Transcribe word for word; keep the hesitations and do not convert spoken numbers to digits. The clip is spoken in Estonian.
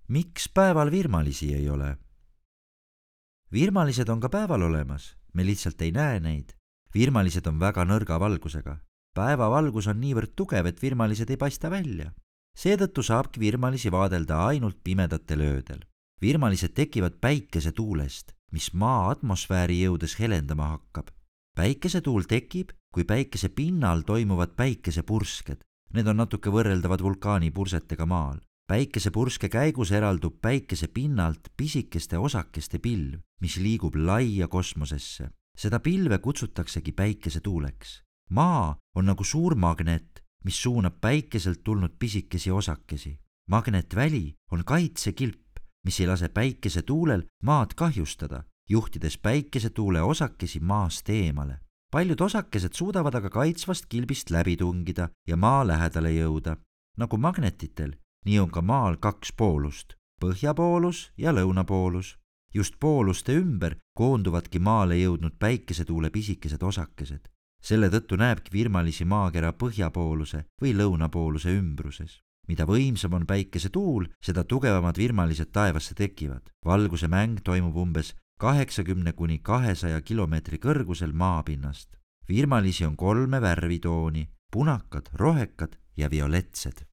miks päeval virmalisi ei ole? Virmalised on ka päeval olemas, me lihtsalt ei näe neid. Virmalised on väga nõrga valgusega. Päevavalgus on niivõrd tugev, et virmalised ei paista välja. Seetõttu saabki virmalisi vaadelda ainult pimedatel öödel. Virmalised tekivad päikesetuulest, mis maa atmosfääri jõudes helendama hakkab. Päikesetuul tekib, kui päikese pinnal toimuvad päikesepursked. Need on natuke võrreldavad vulkaanipursetega maal. Päikesepurske käigus eraldub päikese pinnalt pisikeste osakeste pilv, mis liigub laia kosmosesse. Seda pilve kutsutaksegi päikesetuuleks. Maa on nagu suur magnet, mis suunab päikeselt tulnud pisikesi osakesi. Magnetväli on kaitsekilp, mis ei lase päikesetuulel maad kahjustada, juhtides päikesetuule osakesi maast eemale. Paljud osakesed suudavad aga kaitsvast kilbist läbi tungida ja maa lähedale jõuda. Nagu magnetitel, nii on ka maal kaks poolust, põhjapoolus ja lõunapoolus. Just pooluste ümber koonduvadki maale jõudnud päikesetuule pisikesed osakesed. Selle tõttu näebki virmalisi maakera põhjapooluse või lõunapooluse ümbruses. Mida võimsam on päikesetuul, seda tugevamad virmalised taevasse tekivad. Valguse mäng toimub umbes kaheksakümne kuni kahesaja kilomeetri kõrgusel maapinnast. Virmalisi on kolme värvitooni, punakad, rohekad ja violetsed.